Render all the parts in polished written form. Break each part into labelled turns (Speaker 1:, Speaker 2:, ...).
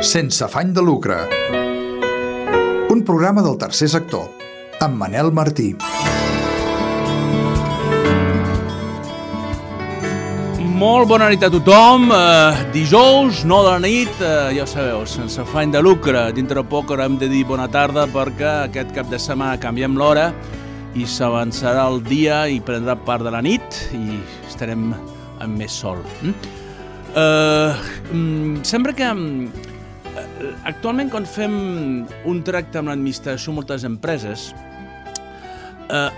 Speaker 1: Sense afany de lucre. Un programa del tercer sector, amb Manel Martí.
Speaker 2: Molt bona nit a tothom. Dijous, 9 de la nit, ja ho sabeu, sense afany de lucre. Dintre poc haurem de dir bona tarda perquè aquest cap de setmana canviem l'hora i s'avançarà el dia i prendrà part de la nit i estarem amb més sol. Sembla que actualment quan fem un tracte amb l'administració de moltes empreses,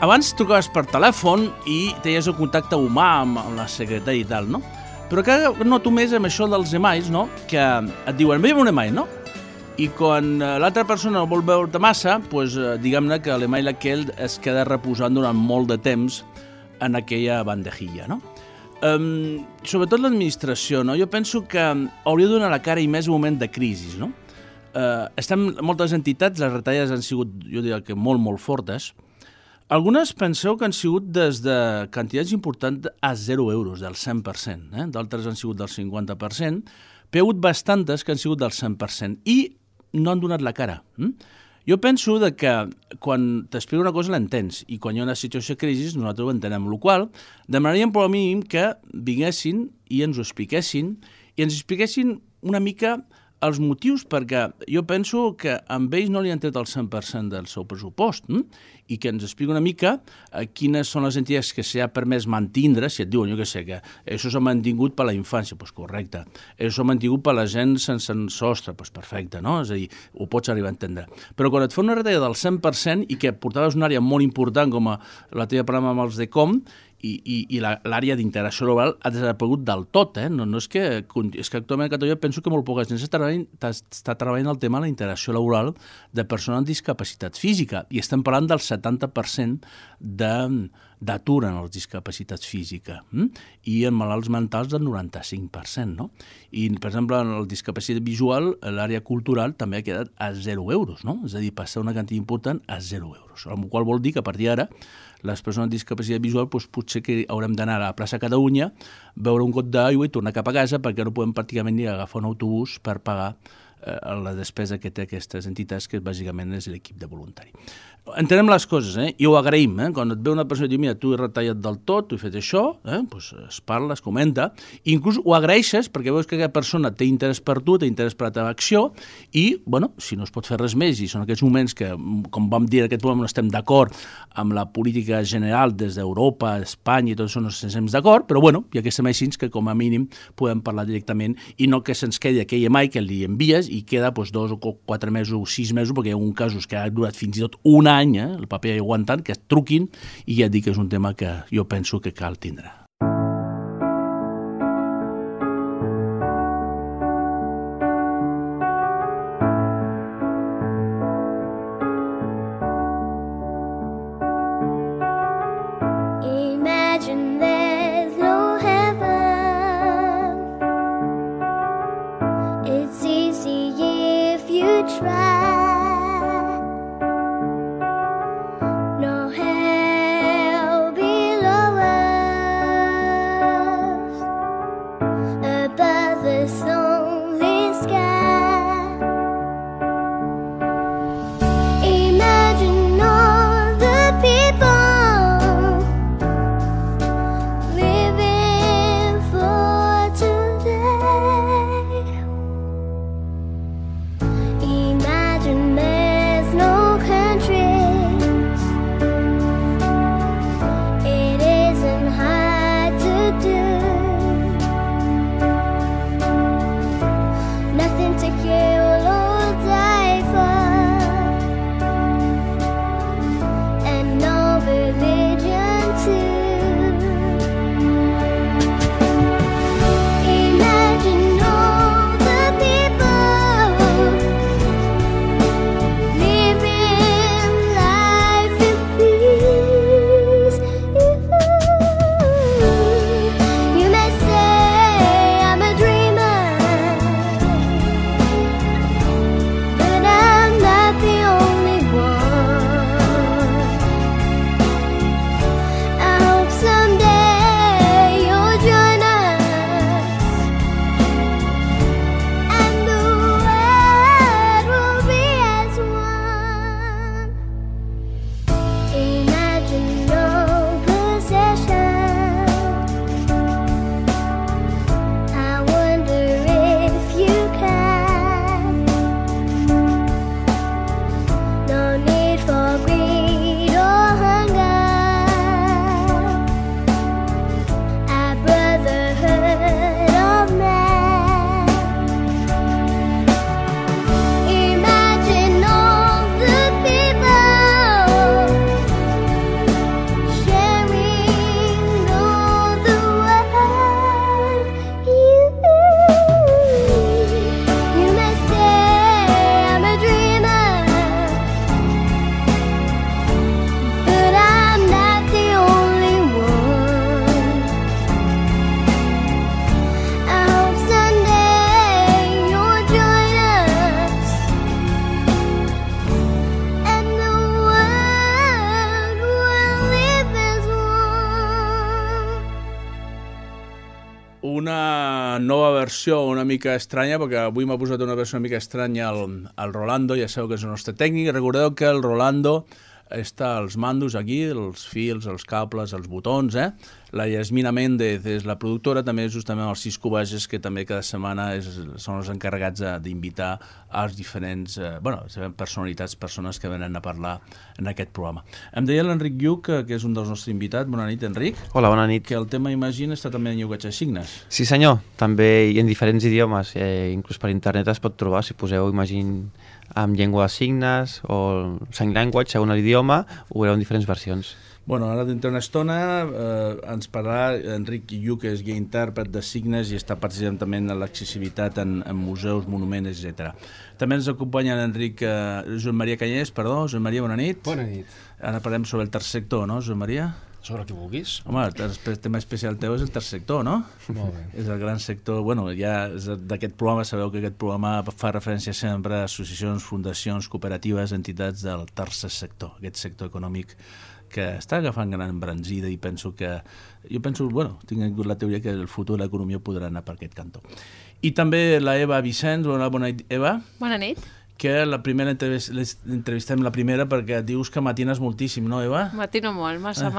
Speaker 2: abans trucaves per telèfon i tenies el contacte humà amb la secretària i tal, no? Però que noto més amb això dels emails, no? Que et diuen, envia'm un email, no? I quan l'altra persona no vol veure-te massa, doncs diguem-ne que l'email aquell es queda reposant durant molt de temps en aquella bandejilla, no? Sobretot l'administració, no? Jo penso que hauria de donar la cara i més un moment de crisi, no? Estem moltes entitats, les retallades han sigut, jo diria que molt fortes. Algunes penseu que han sigut des de quantitats importants a 0 euros, del 100%, d'altres han sigut del 50%, però hi ha hagut bastantes que han sigut del 100% i no han donat la cara. Jo penso que quan t'explico una cosa l'entens i quan hi ha una situació de crisi nosaltres ho entenem, amb la qual cosa demanaríem per al mínim que vinguessin i ens ho expliquessin i ens expliquessin una mica els motius, perquè jo penso que amb ells no li han tret el 100% del seu pressupost i que ens expliqui una mica quines són les entitats que s'ha permès mantindre, si et diuen, jo què sé, que això s'ha mantingut per la infància, doncs correcte, això s'ha mantingut per la gent sense sostre, doncs perfecte, no? És a dir, ho pots arribar a entendre. Però quan et fa una retallada del 100% i que portaves una àrea molt important com la teva programa amb els DECOM, i l'àrea d'integració laboral ha desaparegut del tot, no és que actualment a Catalunya penso que molt poca gent està treballant el tema de la integració laboral de persones amb discapacitat física i estem parlant del 70% d'atur en les discapacitats físiques i en malalts mentals del 95%, no? I, per exemple, en la discapacitat visual, l'àrea cultural també ha quedat a 0 euros, no? És a dir, passar una quantitat important a 0 euros, amb la qual vol dir que a partir d'ara les persones amb discapacitat visual doncs, potser que haurem d'anar a la plaça Catalunya, beure un got d'aigua i tornar cap a casa perquè no podem pràcticament ni agafar un autobús per pagar la despesa que té aquestes entitats, que bàsicament és l'equip de voluntari. Entenem les coses, i ho agraïm. Quan et ve una persona i diu, mira, tu he retallat del tot, tu he fet això, doncs es parla, es comenta, i inclús ho agraeixes perquè veus que aquella persona té interès per tu, té interès per la teva acció, i, bueno, si no es pot fer res més, i són aquests moments que, com vam dir en aquest programa, no estem d'acord amb la política general des d'Europa, Espanya i tot això no estem d'acord, però, bueno, hi ha aquests emails que, com a mínim, podem parlar directament i no que se'ns quedi aquell email que li envies i queda 2 o 4 mesos o 6 mesos, perquè hi ha alguns casos que ha durat fins i tot un any, el paper aguantant, que es truquin, i ja et dic que és un tema que jo penso que cal tindre.
Speaker 3: Imagine
Speaker 2: versió una mica estranya, perquè avui m'ha posat una versió una mica estranya al Rolando, ja sabeu que és el nostre tècnic. Recordeu que el Rolando està als mandos aquí, els fils, els cables, els botons, La Yasmina Méndez és la productora, també justament els Cisco Bages, que també cada setmana són els encarregats d'invitar als diferents personalitats, persones que venen a parlar en aquest programa. Em deia l'Enric Lluc, que és un dels nostres invitats. Bona nit, Enric.
Speaker 3: Hola, bona nit.
Speaker 2: Que el tema Imagine està també en llenguatge de signes.
Speaker 3: Sí, senyor. També i en diferents idiomes. Inclús per internet es pot trobar, si poseu Imagine amb llengua de signes o sign language, segons l'idioma, ho veureu en diferents versions.
Speaker 2: Bueno, ara dintre una estona ens parlarà Enric Lluc, que és guia intèrpret de signes i està participant també en l'accessibilitat en museus, monuments, etc. També ens acompanya Joan Maria Canyés, Joan Maria, bona nit.
Speaker 4: Bona nit.
Speaker 2: Ara parlem sobre el tercer sector, no, Joan Maria?
Speaker 4: Sobre el que vulguis.
Speaker 2: Home, el tema especial teu és el tercer sector, no?
Speaker 4: Molt bé.
Speaker 2: És el gran sector, ja d'aquest programa, sabeu que aquest programa fa referència sempre a associacions, fundacions, cooperatives, entitats del tercer sector, aquest sector econòmic que està agafant gran embranzida i tinc la teoria que el futur de l'economia podrà anar per aquest cantó. I també la Eva Vicens. Bona nit, Eva.
Speaker 5: Bona nit.
Speaker 2: Que la primera entrevistem la primera perquè dius que matines moltíssim, no, Eva?
Speaker 5: Matino molt, massa.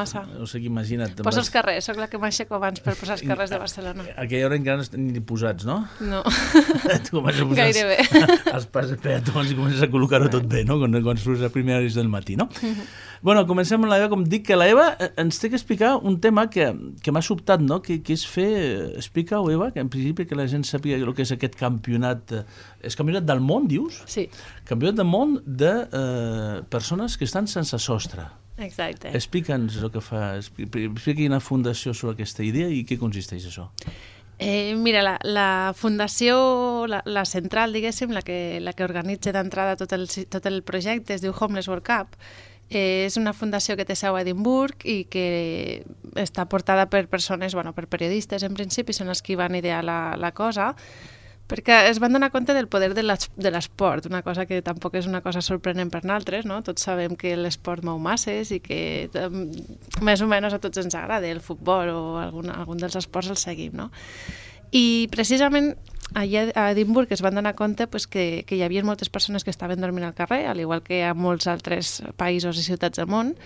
Speaker 2: O sigui, imagina't.
Speaker 5: Posa els carrers, soc la que m'aixeco abans per posar els carrers de Barcelona.
Speaker 2: A aquella hora encara no estan ni posats, no?
Speaker 5: No,
Speaker 2: Tu comences a posar
Speaker 5: gairebé.
Speaker 2: els pas peatons i comences a col·locar-ho tot bé, no? Quan surts a primera hora del matí, no? Bueno, comencem amb la Eva. Com dic, que la Eva ens té que explicar un tema que m'ha sobtat, no? Que és fer... Explica-ho, Eva, que en principi que la gent sàpiga el que és aquest campionat. És campionat del món, dius?
Speaker 5: Sí.
Speaker 2: Campionat del món de persones que estan sense sostre.
Speaker 5: Exacte.
Speaker 2: Explica'ns el que fa. Explica quina fundació sobre aquesta idea i què consisteix això.
Speaker 5: Mira, la fundació, la central, diguéssim, la que organitza d'entrada tot el projecte, es diu Homeless World Cup. És una fundació que té seu a Edimburg i que està portada per persones, per periodistes en principi, són els que van idear la cosa, perquè es van donar compte del poder de l'esport, una cosa que tampoc és una cosa sorprenent per nosaltres, no? Tots sabem que l'esport mou masses i que més o menys a tots ens agrada el futbol o algun dels esports el seguim, no? I precisament allà a Edimburg es van donar compte que hi havia moltes persones que estaven dormint al carrer, al igual que a molts altres països i ciutats del món,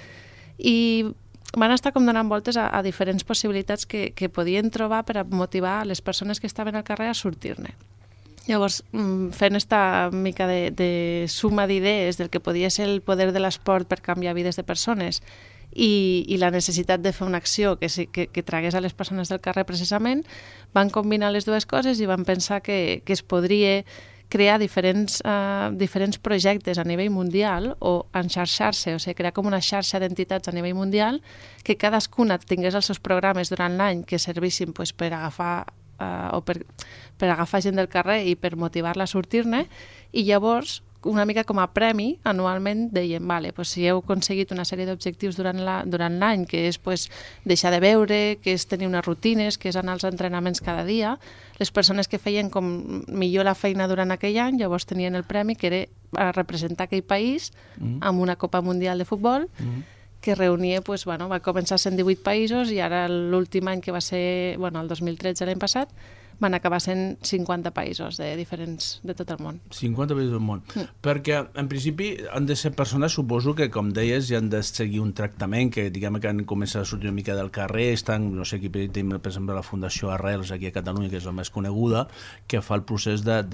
Speaker 5: i van estar com donant voltes a diferents possibilitats que podien trobar per a motivar les persones que estaven al carrer a sortir-ne. Llavors, fent esta mica de suma d'idees del que podia ser el poder de l'esport per canviar vides de persones i la necessitat de fer una acció que tragués a les persones del carrer precisament, van combinar les dues coses i van pensar que es podria crear diferents projectes a nivell mundial o enxarxar-se, o sigui, crear com una xarxa d'entitats a nivell mundial que cadascuna tingués els seus programes durant l'any que servissin per agafar per agafar gent del carrer i per motivar-la a sortir-ne, i llavors una mica com a premi, anualment deien, si heu aconseguit una sèrie d'objectius durant l'any, que és deixar de beure, que és tenir unes rutines, que és anar als entrenaments cada dia, les persones que feien com millor la feina durant aquell any, llavors tenien el premi, que era representar aquell país amb una Copa Mundial de Futbol, que reunia, va començar sent 18 països i ara l'últim any que va ser, el 2013, l'any passat, van acabar sent 50 països de tot el món.
Speaker 2: 50 països del món. Perquè, en principi, han de ser persones, suposo que, com deies, ja han de seguir un tractament, que diguem que han començat a sortir una mica del carrer, estan, no sé, aquí per exemple la Fundació Arrels, aquí a Catalunya, que és la més coneguda, que fa el procés de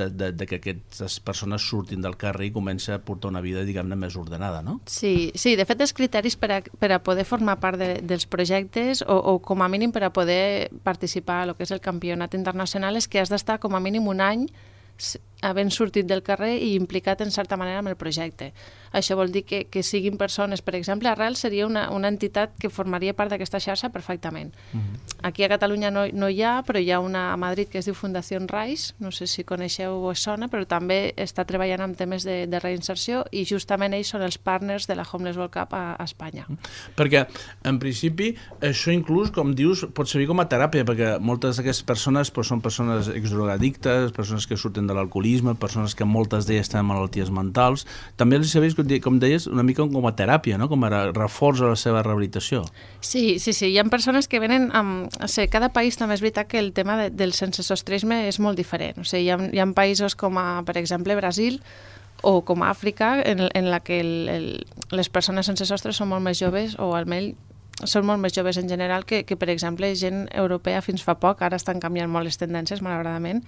Speaker 2: que aquestes persones surtin del carrer i comencin a portar una vida, diguem-ne, més ordenada, no?
Speaker 5: Sí, de fet, els criteris per a poder formar part dels projectes o com a mínim per a poder participar a lo que és el campionat internacional és que has d'estar com a mínim un any havent sortit del carrer i implicat en certa manera amb el projecte. Això vol dir que siguin persones, per exemple, Arrel seria una entitat que formaria part d'aquesta xarxa perfectament. Aquí a Catalunya no hi ha, però hi ha una a Madrid que es diu Fundació Rise, no sé si coneixeu o es sona, però també està treballant amb temes de reinserció i justament ells són els partners de la Homeless World Cup a Espanya.
Speaker 2: Perquè, en principi, això inclús, com dius, pot servir com a teràpia, perquè moltes d'aquestes persones són persones exdrogadictes, persones que surten de l'alcoholisme, persones que moltes d'elles tenen malalties mentals. També els serveix, com deies, una mica com a teràpia, no? Com a reforç a la seva rehabilitació.
Speaker 5: Sí, hi ha persones que venen amb... O sigui, cada país també és veritat que el tema del sensesostrisme és molt diferent. O sigui, hi ha països com, per exemple, Brasil o com a Àfrica, en la que les persones sense sostre són molt més joves, o almenys són molt més joves en general que, per exemple, gent europea fins fa poc. Ara estan canviant molt les tendències, malauradament,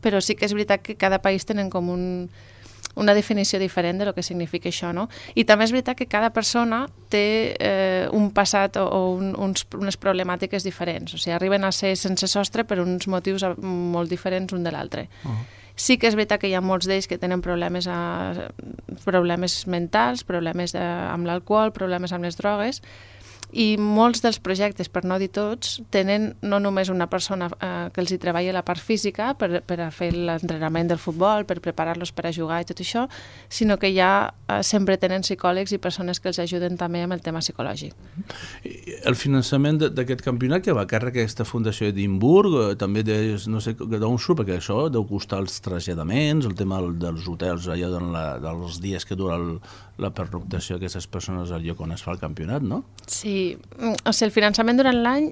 Speaker 5: però sí que és veritat que cada país tenen com una definició diferent de lo que significa això, no? I també és veritat que cada persona té un passat o unes problemàtiques diferents. O sigui, arriben a ser sense sostre per uns motius molt diferents un de l'altre. Sí que és veritat que hi ha molts d'ells que tenen problemes mentals, problemes amb l'alcohol, problemes amb les drogues, i molts dels projectes, per no dir tots, tenen no només una persona que els hi treballa la part física per a fer l'entrenament del futbol, per preparar-los per a jugar i tot això, sinó que ja sempre tenen psicòlegs i persones que els ajuden també amb el tema psicològic.
Speaker 2: El finançament d'aquest campionat que va a càrrec aquesta Fundació Edimburg, també no sé d'on surt, perquè això deu costar els traslladaments, el tema dels hotels allà dels dies que dura la pernoctació d'aquestes persones al lloc on es fa el campionat, no?
Speaker 5: Sí, o sigui, el finançament durant l'any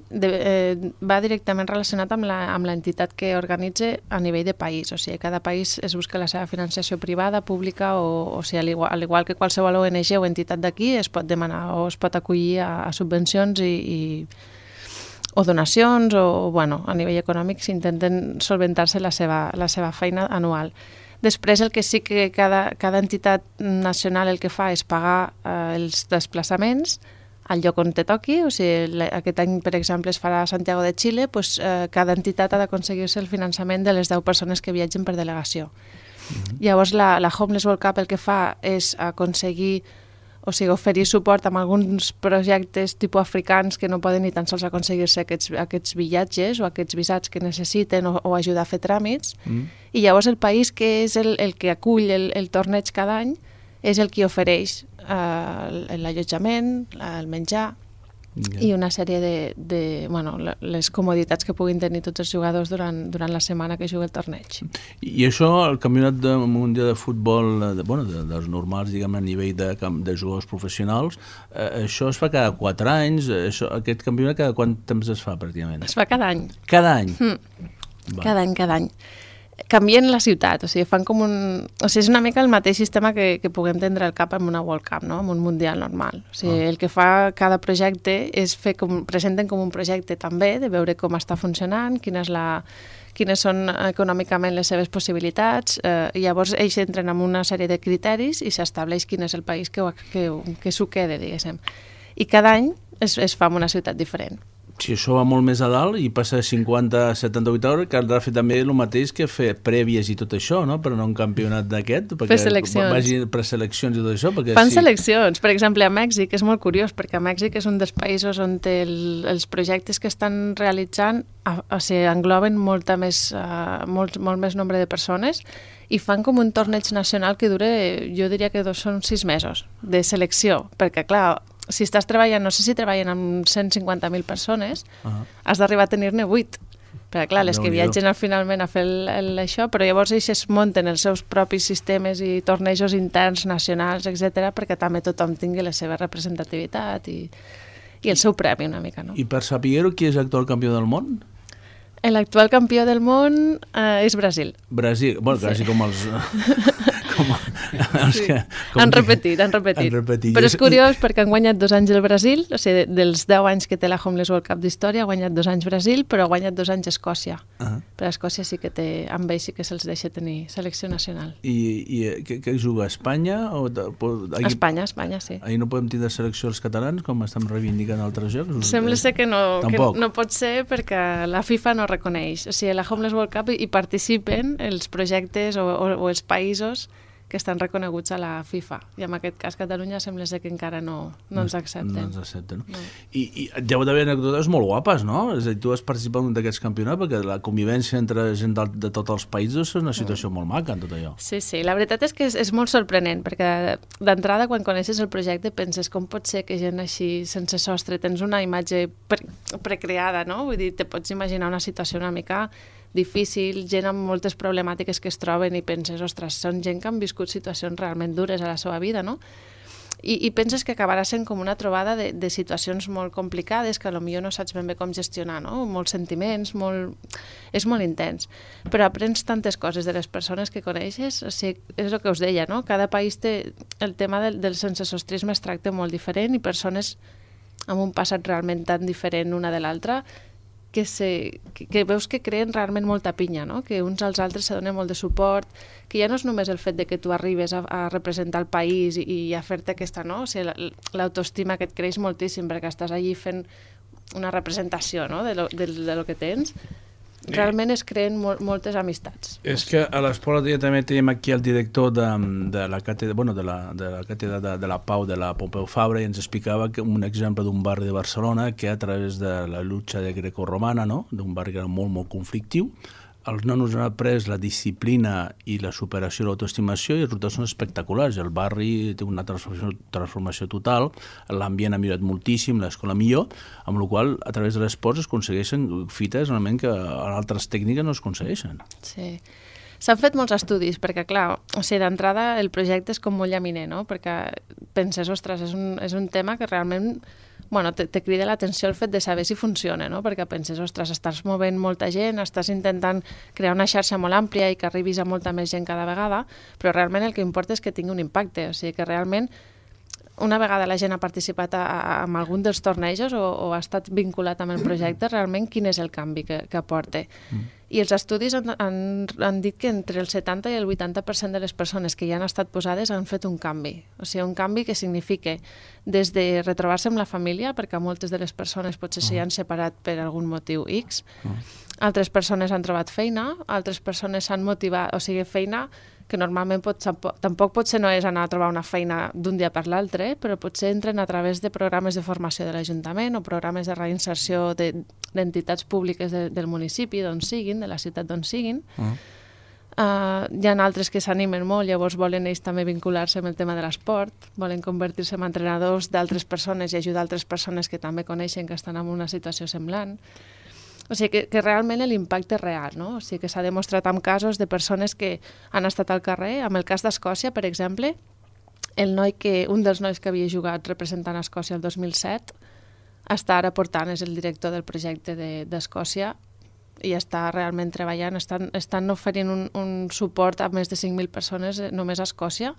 Speaker 5: va directament relacionat amb l'entitat que organitza a nivell de país. O sigui, cada país es busca la seva financiació privada, pública, o sigui, al igual que qualsevol ONG o entitat d'aquí, es pot demanar o es pot acollir a subvencions o donacions, o bueno, a nivell econòmic s'intenten solventar-se la seva feina anual. Després, el que sí que cada entitat nacional el que fa és pagar els desplaçaments al lloc on te toqui. O sigui, aquest any, per exemple, es farà a Santiago de Xile, doncs, cada entitat ha d'aconseguir-se el finançament de les 10 persones que viatgen per delegació. Llavors, la Homeless World Cup el que fa és aconseguir, o sigui, oferir suport amb alguns projectes tipus africans que no poden ni tan sols aconseguir-se aquests viatges o aquests visats que necessiten, o ajudar a fer tràmits. I llavors el país que és el que acull el torneig cada any és el que ofereix l'allotjament, el menjar i una sèrie de les comoditats que puguin tenir tots els jugadors durant la setmana que juga el torneig.
Speaker 2: I això, el campionat mundial de futbol, dels normals, diguem, a nivell de jugadors professionals, això es fa cada 4 anys, aquest campionat cada quant temps es fa, pràcticament?
Speaker 5: Es fa cada any.
Speaker 2: Cada any?
Speaker 5: Cada any. Canvien la ciutat, o sigui, fan com o sigui, és una mica el mateix sistema que puguem tindre al cap amb una World Cup, no? Amb un Mundial normal. O sigui, el que fa cada projecte és presenten com un projecte també, de veure com està funcionant, quines són econòmicament les seves possibilitats, i llavors ells entren en una sèrie de criteris i s'estableix quin és el país que s'ho quede, diguéssim. I cada any es fa en una ciutat diferent.
Speaker 2: Si això va molt més a dalt i passa de 50 a 78 hores, caldrà fer també el mateix que fer prèvies i tot això, no? Per anar a un campionat d'aquest.
Speaker 5: Fer seleccions.
Speaker 2: Vagi preseleccions i tot això.
Speaker 5: Fan seleccions. Per exemple, a Mèxic és molt curiós, perquè a Mèxic és un dels països on els projectes que estan realitzant engloben molt més nombre de persones, i fan com un torneig nacional que dura, jo diria que són 6 mesos de selecció, perquè clar, si estàs treballant, no sé si treballen amb 150.000 persones, has d'arribar a tenir-ne 8. Perquè clar, les que viatgen finalment a fer això, però llavors ells es munten els seus propis sistemes i tornejos interns, nacionals, etc., perquè també tothom tingui la seva representativitat i el seu premi una mica, no?
Speaker 2: I per saber-ho, qui és l'actual campió del món?
Speaker 5: L'actual campió del món és Brasil.
Speaker 2: Brasil, bueno, quasi com els...
Speaker 5: Han repetit. Però és curiós perquè han guanyat 2 anys el Brasil, o sigui, dels 10 anys que té la Homeless World Cup d'història, ha guanyat 2 anys Brasil, però ha guanyat 2 anys Escòcia. Però Escòcia sí que té, amb ells sí que se'ls deixa tenir selecció nacional.
Speaker 2: I què juga, Espanya?
Speaker 5: Espanya, sí.
Speaker 2: Ahir no podem tindre selecció els catalans, com estem reivindicant altres jocs?
Speaker 5: Sembla ser que no pot ser perquè la FIFA no reconeix. O sigui, a la Homeless World Cup hi participen els projectes o els països que estan reconeguts a la FIFA. I en aquest cas Catalunya sembla ser que encara no ens accepten.
Speaker 2: No ens accepten, no? I deu d'haver anècdotes molt guapes, no? És a dir, tu has participat en un d'aquests campionats perquè la convivència entre gent de tots els països és una situació molt maca en tot allò. Sí,
Speaker 5: la veritat és que és molt sorprenent, perquè d'entrada quan coneixes el projecte penses com pot ser que gent així sense sostre, tens una imatge precreada, no? Vull dir, te pots imaginar una situació una mica difícil, gent amb moltes problemàtiques que es troben i penses, ostres, són gent que han viscut situacions realment dures a la seva vida, no? I penses que acabarà sent com una trobada de situacions molt complicades que potser no saps ben bé com gestionar, no? Molts sentiments, és molt intens. Però aprens tantes coses de les persones que coneixes, o sigui, és el que us deia, no? Cada país té... El tema del sensesostrisme es tracta molt diferent i persones amb un passat realment tan diferent una de l'altra que veus que creen realment molta pinya, no? Que uns als altres se donen molt de suport, que ja no és només el fet de que tu arribes a representar el país i a fer-te aquesta, no? O sigui, l'autoestima que et creix moltíssim perquè estàs allí fent una representació, no? de lo que tens. Realment es creen moltes amistats.
Speaker 2: És que a l'esport ja també tenim aquí el director de la càtedra, de la càtedra de la Pau de la Pompeu Fabra, i ens explicava que un exemple d'un barri de Barcelona que a través de la lluita de grecorromana, no? D'un barri que era molt, molt conflictiu, els nanos han après la disciplina i la superació i l'autoestimació i els resultats són espectaculars. El barri té una transformació total, l'ambient ha millorat moltíssim, l'escola millor, amb la qual a través de l'esport es aconsegueixen fites realment que en altres tècniques no es aconsegueixen. Sí.
Speaker 5: S'han fet molts estudis, perquè, clar, o sigui, d'entrada el projecte és com molt llaminer, no? Perquè penses, ostres, és un tema que realment te crida l'atenció el fet de saber si funciona, no? Perquè penses, ostres, estàs movent molta gent, estàs intentant crear una xarxa molt àmplia i que arribis a molta més gent cada vegada, però realment el que importa és que tingui un impacte, o sigui que realment una vegada la gent ha participat en algun dels tornejos o ha estat vinculat amb el projecte, realment quin és el canvi que aporta. I els estudis han dit que entre el 70 i el 80% de les persones que hi han estat posades han fet un canvi. O sigui, un canvi que significa des de retrobar-se amb la família, perquè moltes de les persones potser s'hi han separat per algun motiu X, altres persones han trobat feina, altres persones s'han motivat, o sigui, feina que normalment tampoc potser no és anar a trobar una feina d'un dia per l'altre, però potser entren a través de programes de formació de l'Ajuntament o programes de reinserció d'entitats públiques del municipi, d'on siguin, de la ciutat d'on siguin. Hi ha altres que s'animen molt, llavors volen ells també vincular-se amb el tema de l'esport, volen convertir-se en entrenadors d'altres persones i ajudar altres persones que també coneixen que estan en una situació semblant. O sigui que realment l'impacte és real, no? O sigui que s'ha demostrat amb casos de persones que han estat al carrer. En el cas d'Escòcia, per exemple, un dels nois que havia jugat representant Escòcia el 2007 està ara portant, és el director del projecte d'Escòcia i està realment treballant, estan oferint un suport a més de 5.000 persones només a Escòcia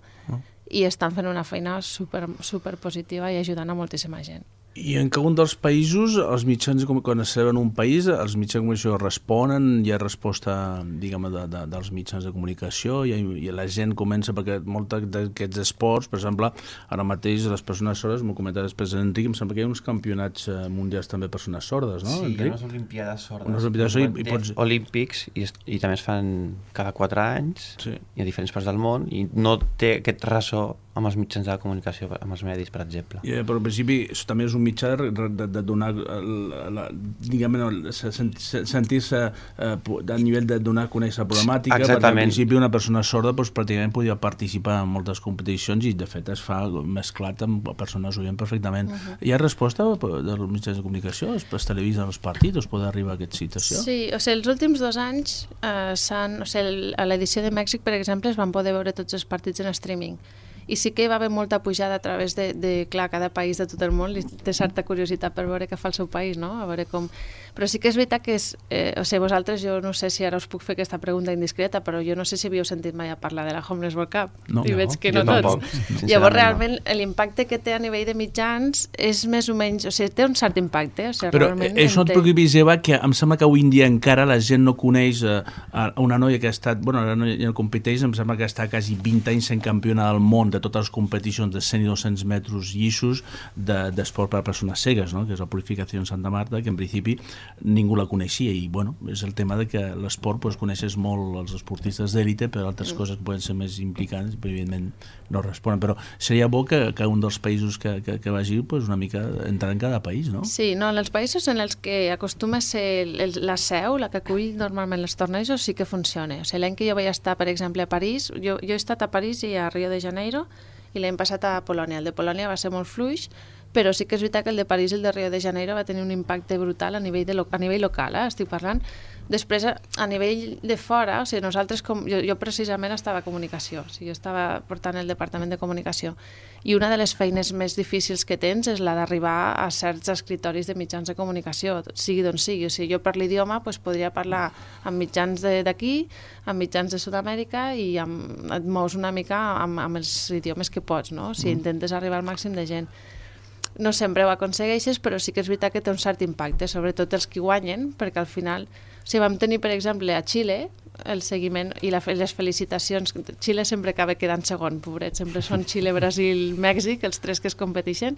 Speaker 5: i estan fent una feina super positiva i ajudant a moltíssima gent.
Speaker 2: I en cada un dels països, els mitjans, quan es celebra en un país, els mitjans de comunicació responen, hi ha resposta, diguem, dels mitjans de comunicació, i la gent comença, perquè molts d'aquests esports, per exemple, ara mateix les persones sordes, m'ho comentava després Enric, em sembla que hi ha uns campionats mundials també de persones sordes, no,
Speaker 3: Enric? Sí, hi ha unes olimpiades sordes. Olímpics, i també es fan cada 4 anys, i a diferents parts del món, i no té aquest ressò amb els mitjans de la comunicació, amb els medis, per exemple.
Speaker 2: Però en principi també és un mitjà de donar, diguem, sentir-se a nivell de donar a conèixer la problemàtica, perquè en principi una persona sorda pràcticament podia participar en moltes competicions i de fet es fa mesclat amb persones oient perfectament. Hi ha resposta dels mitjans de comunicació? Es televisen els partits? Es pot arribar a aquesta situació?
Speaker 5: Sí, o sigui, els últims 2 anys a l'edició de Mèxic, per exemple, es van poder veure tots els partits en streaming. I sí que hi va haver molta pujada a través clar, cada país de tot el món té certa curiositat per veure què fa el seu país, no? A veure com... Però sí que és veritat que o sigui, vosaltres, jo no sé si ara us puc fer aquesta pregunta indiscreta, però jo no sé si havíeu sentit mai a parlar de la Homeless World Cup.
Speaker 2: No,
Speaker 5: I veig que no tots. Llavors, realment, l'impacte que té a nivell de mitjans és més o menys... O sigui, té un cert impacte. O sigui,
Speaker 2: però això no et preocupis, Eva, que em sembla que avui en dia encara la gent no coneix una noia que ha estat... Bueno, ara no competeix, em sembla que està quasi 20 anys sent campiona del món de totes les competicions de 100 i 200 metres llissos d'esport per a persones cegues, no? Que és la Purificació en Santa Marta, que en principi ningú la coneixia, i bueno, és el tema de que l'esport coneixes molt els esportistes d'èlite, però altres coses que poden ser més implicants, però evidentment no responen, però seria bo que un dels països que vagi una mica entrar en cada país, no?
Speaker 5: Sí, no, en els països en els que acostuma a ser la seu, la que acull normalment els tornejos, sí que funciona. O sigui, l'any que jo vaig estar, per exemple, a París, jo he estat a París i a Rio de Janeiro, i l'any passat a Polònia. El de Polònia va ser molt fluix, però sí que és veritat que el de París i el de Rio de Janeiro va tenir un impacte brutal a nivell local, estic parlant, Després, a nivell de fora, o sigui, nosaltres, jo precisament estava a comunicació, o sigui, jo estava portant el departament de comunicació, i una de les feines més difícils que tens és la d'arribar a certs escritoris de mitjans de comunicació, sigui d'on sigui. O sigui, jo per l'idioma podria parlar amb mitjans d'aquí, amb mitjans de Sud-amèrica, i et mous una mica amb els idiomes que pots, no? O sigui, intentes arribar al màxim de gent. No sempre ho aconsegueixes, però sí que és veritat que té un cert impacte, sobretot els que guanyen, perquè al final, o sigui, vam tenir, per exemple, a Xile, el seguiment i les felicitacions. Xile sempre acaba quedant segon, pobret, sempre són Xile, Brasil, Mèxic, els tres que es competeixen,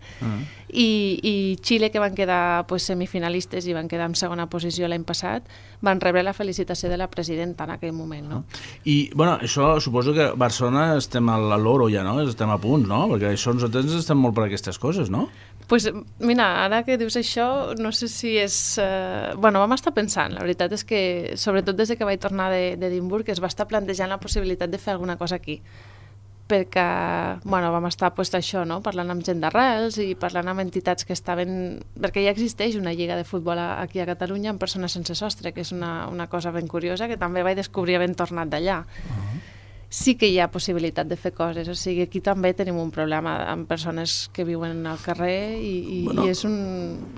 Speaker 5: i Xile, que van quedar semifinalistes i van quedar en segona posició l'any passat, van rebre la felicitació de la presidenta en aquell moment, no?
Speaker 2: I, bueno, això suposo que a Barcelona estem a l'oro ja, no? Estem a punt, no? Perquè això nosaltres estem molt per aquestes coses, no?
Speaker 5: Pues mira, ara que dius això, no sé si és... Bueno, vam estar pensant, la veritat és que, sobretot des que vaig tornar d'Edimburg, es va estar plantejant la possibilitat de fer alguna cosa aquí. Perquè, bueno, vam estar això, no? Parlant amb gent d'arrels i parlant amb entitats que estaven... Perquè ja existeix una lliga de futbol aquí a Catalunya amb persones sense sostre, que és una cosa ben curiosa, que també vaig descobrir havent tornat d'allà. Sí que hi ha possibilitat de fer coses, o sigui, aquí també tenim un problema amb persones que viuen al carrer i és un...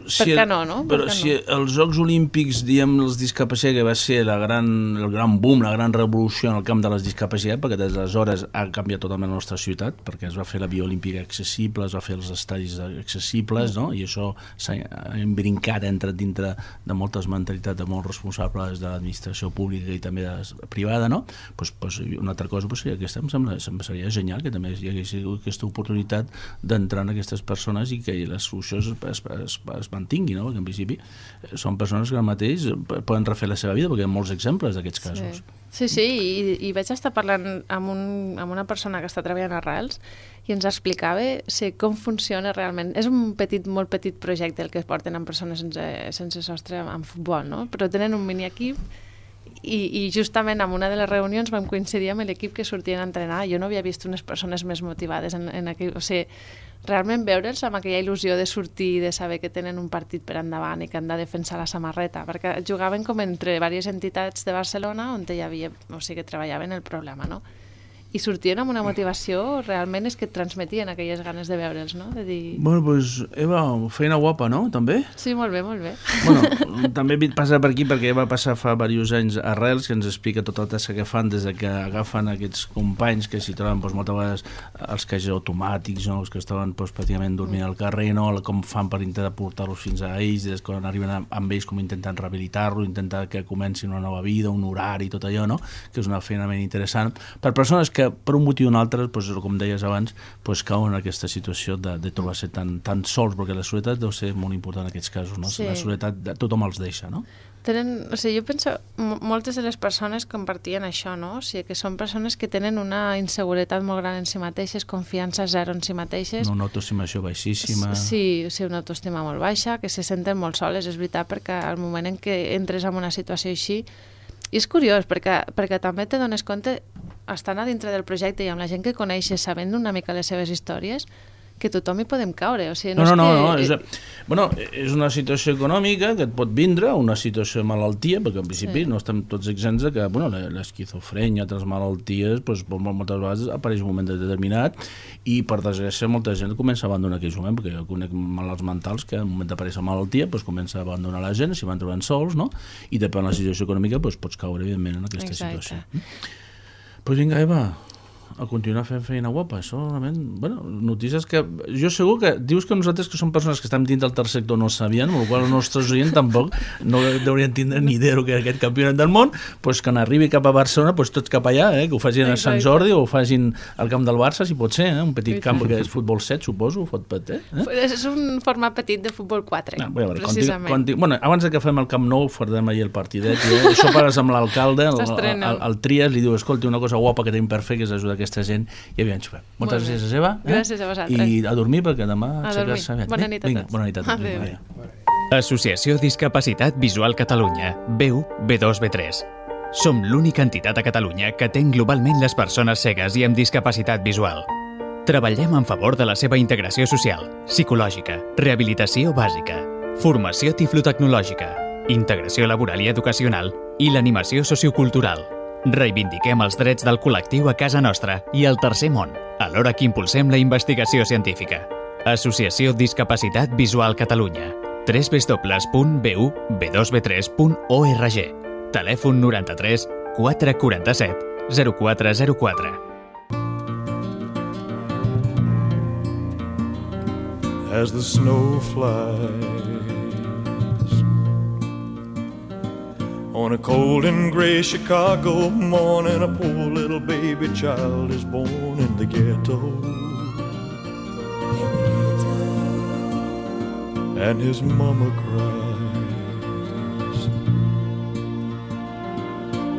Speaker 5: Per què no, no?
Speaker 2: Però si els Jocs Olímpics, diem, els discapacitats, que va ser el gran boom, la gran revolució en el camp de les discapacitats, perquè des d'aleshores ha canviat totalment la nostra ciutat, perquè es va fer la Via Olímpica accessible, es va fer els estadis accessibles, no? I això s'ha embrincat, ha entrat dintre de moltes mentalitats de molts responsables de l'administració pública i també privada, no? Pues una altra cosa aquesta em seria genial, que també hi hagués aquesta oportunitat d'entrar en aquestes persones i que la solució es mantingui, no? Perquè en principi són persones que al mateix poden refer la seva vida, perquè hi ha molts exemples d'aquests casos.
Speaker 5: Sí, i vaig estar parlant amb una persona que està treballant a Arrels i ens explicava com funciona realment. És un molt petit projecte el que porten amb persones sense sostre en futbol, no? Però tenen un mini equip i justament en una de les reunions vam coincidir amb l'equip que sortien a entrenar. Jo no havia vist unes persones més motivades en aquell... O sigui, realment veure'ls amb aquella il·lusió de sortir i de saber que tenen un partit per endavant i que han de defensar la samarreta, perquè jugaven com entre diverses entitats de Barcelona on hi havia, o sigui, que treballaven el problema, no? I sortien amb una motivació, realment és que et transmetien aquelles ganes de veure'ls, no? De dir...
Speaker 2: Bueno, doncs, Eva, feina guapa, no? També?
Speaker 5: Sí, molt bé, molt bé.
Speaker 2: Bueno, també passa per aquí perquè va passar fa diversos anys a Arrels, que ens explica tota la tasca que fan des que agafen aquests companys que s'hi troben moltes vegades els caixers automàtics, no? Els que estaven pràcticament dormint al carrer, no? Com fan per intentar portar-los fins a ells, des quan arriben amb ells com intentant rehabilitar-los, intentar que comencin una nova vida, un horari, tot allò, no? Que és una feina ben interessant. Per persones que per un motiu o un altre, com deies abans, cauen en aquesta situació de trobar-se tan sols, perquè la soledat deu ser molt important en aquests casos, no? La soledat tothom els deixa, no?
Speaker 5: O sigui, jo penso, moltes de les persones compartien això, no? O sigui, que són persones que tenen una inseguretat molt gran en si mateixes, confiança zero en si mateixes.
Speaker 2: Una autoestimació baixíssima.
Speaker 5: Sí, o sigui, una autoestima molt baixa, que se senten molt soles, és veritat, perquè al moment en què entres en una situació així, i és curiós, perquè també te dones compte, estant a dintre del projecte i amb la gent que coneixes, sabent una mica les seves històries, que tothom hi podem caure. O sigui,
Speaker 2: és una situació econòmica que et pot vindre, una situació de malaltia, perquè en principi no estem tots exempts de que l'esquizofrènia, altres malalties, moltes vegades apareix un moment determinat i per desgràcia molta gent comença a abandonar aquell moment, perquè jo conec malalts mentals que al moment d'aparèixer malaltia comença a abandonar la gent, s'hi van trobant sols, no? I depèn de la situació econòmica pots caure evidentment en aquesta situació. Pues vinga, Eva, a continuar fent feina guapa, això realment, notícies que jo segur que dius que nosaltres que som persones que estem dins del tercer sector no sabien, amb la qual cosa els nostres oients tampoc no deurien tindre ni idea que era aquest campionat del món, que n'arribi cap a Barcelona, tots cap allà, que ho facin a Sant Jordi o ho facin al camp del Barça, si pot ser, un petit camp que és futbol 7, suposo,
Speaker 5: És un format petit de futbol 4, precisament.
Speaker 2: Abans que fem el Camp Nou, farem ahir el partidet, això pares amb l'alcalde, el Trias, li diu, escolti, una cosa guapa que tenim per fer, que és ajudar aquesta gent, i aviam xupem. Moltes gràcies, Eva.
Speaker 5: Gràcies a vosaltres.
Speaker 2: I a dormir, perquè demà
Speaker 5: aixecar-se bé. Bona nit a tots.
Speaker 2: Bona nit a tots.
Speaker 4: Associació Discapacitat Visual Catalunya, B1, B2, B3. Som l'única entitat a Catalunya que atén globalment les persones cegues i amb discapacitat visual. Treballem en favor de la seva integració social, psicològica, rehabilitació bàsica, formació tiflotecnològica, integració laboral i educacional i l'animació sociocultural. Reivindiquem els drets del col·lectiu a casa nostra i al tercer món, alhora que impulsem la investigació científica. Associació Discapacitat Visual Catalunya. www.bu-b2b3.org. Telèfon 93 447 0404.
Speaker 6: As the snow flies on a cold and gray Chicago morning, a poor little baby child is born in the ghetto. And his mama cries,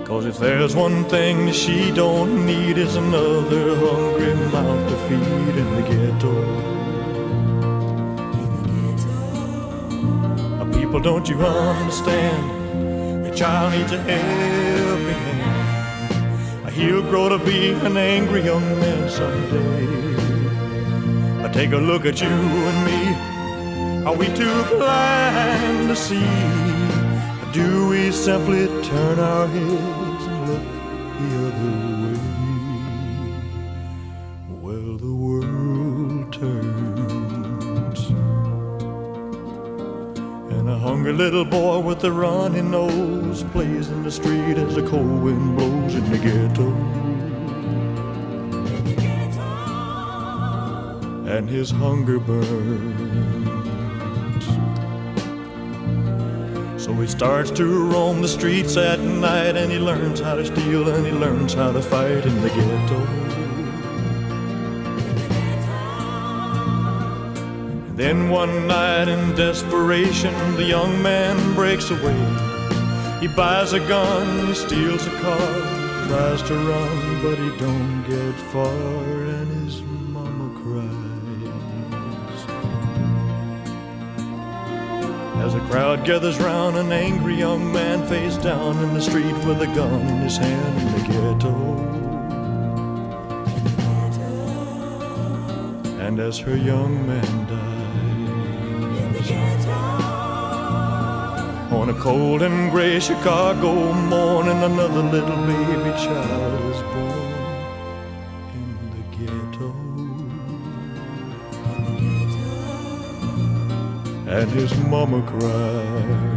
Speaker 6: 'cause if there's one thing that she don't need is another hungry mouth to feed in the ghetto. People, don't you understand? The child needs a helping hand. He'll grow to be an angry young man someday. Take a look at you and me. Are we too blind to see? Do we simply turn our heads and look the other way? Well, the world turns, and a hungry little boy with a runny nose plays in the street as the cold wind blows in the ghetto. And his hunger burns, so he starts to roam the streets at night, and he learns how to steal and he learns how to fight in the ghetto. And then one night in desperation, the young man breaks away. He buys a gun, he steals a car, tries to run, but he don't get far, and his mama cries. As a crowd gathers round, an angry young man face down in the street with a gun in his hand in the ghetto. And as her young man dies, on a cold and gray Chicago morning, another little baby child is born in the ghetto. And his mama cried.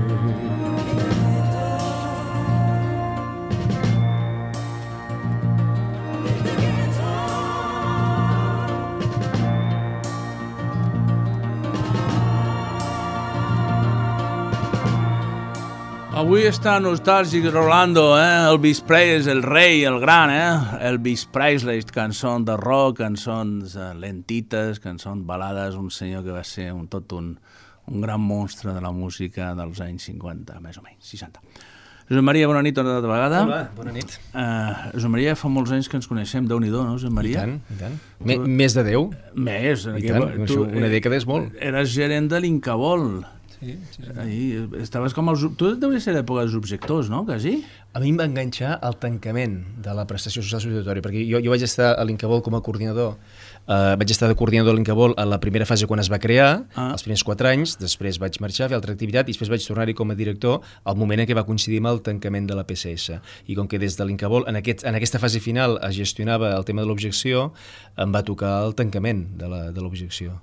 Speaker 2: Avui està nostàlgic Rolando, Elvis Presley, el rei, el gran, Elvis Presley, cançons de rock, cançons lentites, cançons balades, un senyor que va ser un gran monstre de la música dels anys 50, més o menys, 60. Josep Maria, bona nit una altra vegada.
Speaker 7: Hola, bona nit.
Speaker 2: Josep Maria, fa molts anys que ens coneixem, Déu-n'hi-do, no, Josep Maria?
Speaker 7: I tant. Més de 10?
Speaker 2: Més.
Speaker 7: I tant, una dècada és molt.
Speaker 2: Eres gerent de l'Incabol.
Speaker 7: Sí.
Speaker 2: Estaves com tu deuries ser d'època dels objectors, no? Quasi?
Speaker 7: A mi em va enganxar el tancament de la prestació social substitutòria, perquè jo vaig estar a l'Incabol com a coordinador. Vaig estar de coordinador a l'Incabol a la primera fase quan es va crear, els primers 4 anys, després vaig marxar a fer altra activitat i després vaig tornar-hi com a director al moment en què va coincidir amb el tancament de la PCS. I com que des de l'Incabol en aquesta fase final es gestionava el tema de l'objecció, em va tocar el tancament de l'objecció.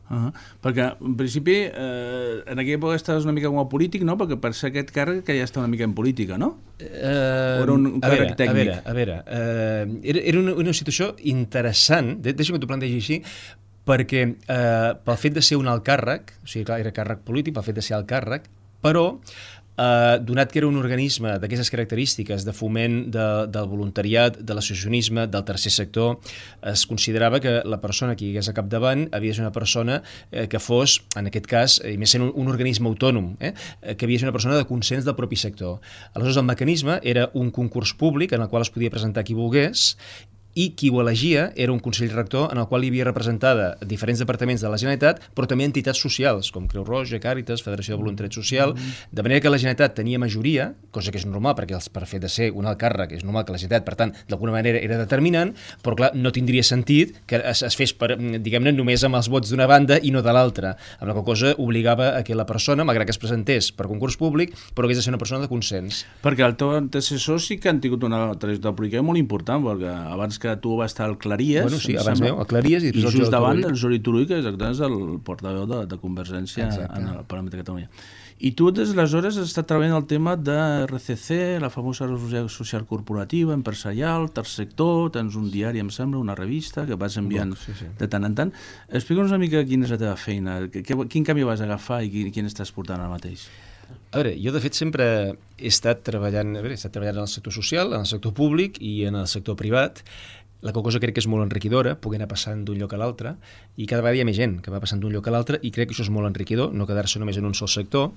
Speaker 2: Perquè, en principi, en aquella època estaves una mica com a polític, no? Perquè per ser aquest càrrec que ja està una mica en política, no? O era un càrrec tècnic?
Speaker 7: A veure, era una situació interessant, deixa'm que t'ho plantegi així, perquè pel fet de ser un alt càrrec, o sigui, clar, era càrrec polític, pel fet de ser alt càrrec, però donat que era un organisme d'aquestes característiques de foment del voluntariat, de l'associacionisme, del tercer sector, es considerava que la persona que hi hagués a capdavant havia de ser una persona que fos, en aquest cas, i més sent un organisme autònom, que havia de ser una persona de consens del propi sector. Aleshores, el mecanisme era un concurs públic en el qual es podia presentar qui volgués, i qui ho elegia era un Consell Rector en el qual hi havia representada diferents departaments de la Generalitat, però també entitats socials, com Creu Roja, Càritas, Federació de Voluntariat Social, de manera que la Generalitat tenia majoria, cosa que és normal, perquè per fet de ser un alt càrrec és normal que la Generalitat, per tant, d'alguna manera era determinant, però clar, no tindria sentit que es fes, diguem-ne, només amb els vots d'una banda i no de l'altra, amb la qual cosa obligava a que la persona, malgrat que es presentés per concurs públic, però hagués de ser una persona de consens.
Speaker 2: Perquè el teu antecessor sí que han tingut una trajectòria política molt important, perquè abans que tu vas estar al Claries...
Speaker 7: Bueno, sí, abans meu, al Claries...
Speaker 2: I just davant el Jordi Turull, que exactament és el portaveu de Convergència en el Parlament de Catalunya. I tu des d'aleshores has estat treballant el tema de RCC, la famosa responsabilitat social corporativa, empresarial, tercer sector, tens un diari, em sembla, una revista que vas enviant de tant en tant. Explica'ns una mica quina és la teva feina, quin canvi vas agafar i quin estàs portant ara mateix.
Speaker 7: A veure, jo de fet sempre he estat treballant en el sector social, en el sector públic i en el sector privat. La qual cosa crec que és molt enriquidora, poder anar passant d'un lloc a l'altre, i cada vegada hi ha més gent que va passant d'un lloc a l'altre, i crec que això és molt enriquidor, no quedar-se només en un sol sector,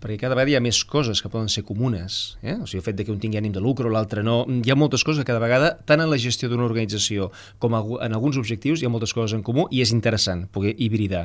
Speaker 7: perquè cada vegada hi ha més coses que poden ser comunes. O sigui, el fet que un tingui ànim de lucre o l'altre no... Hi ha moltes coses que cada vegada, tant en la gestió d'una organització com en alguns objectius, hi ha moltes coses en comú i és interessant poder hibridar.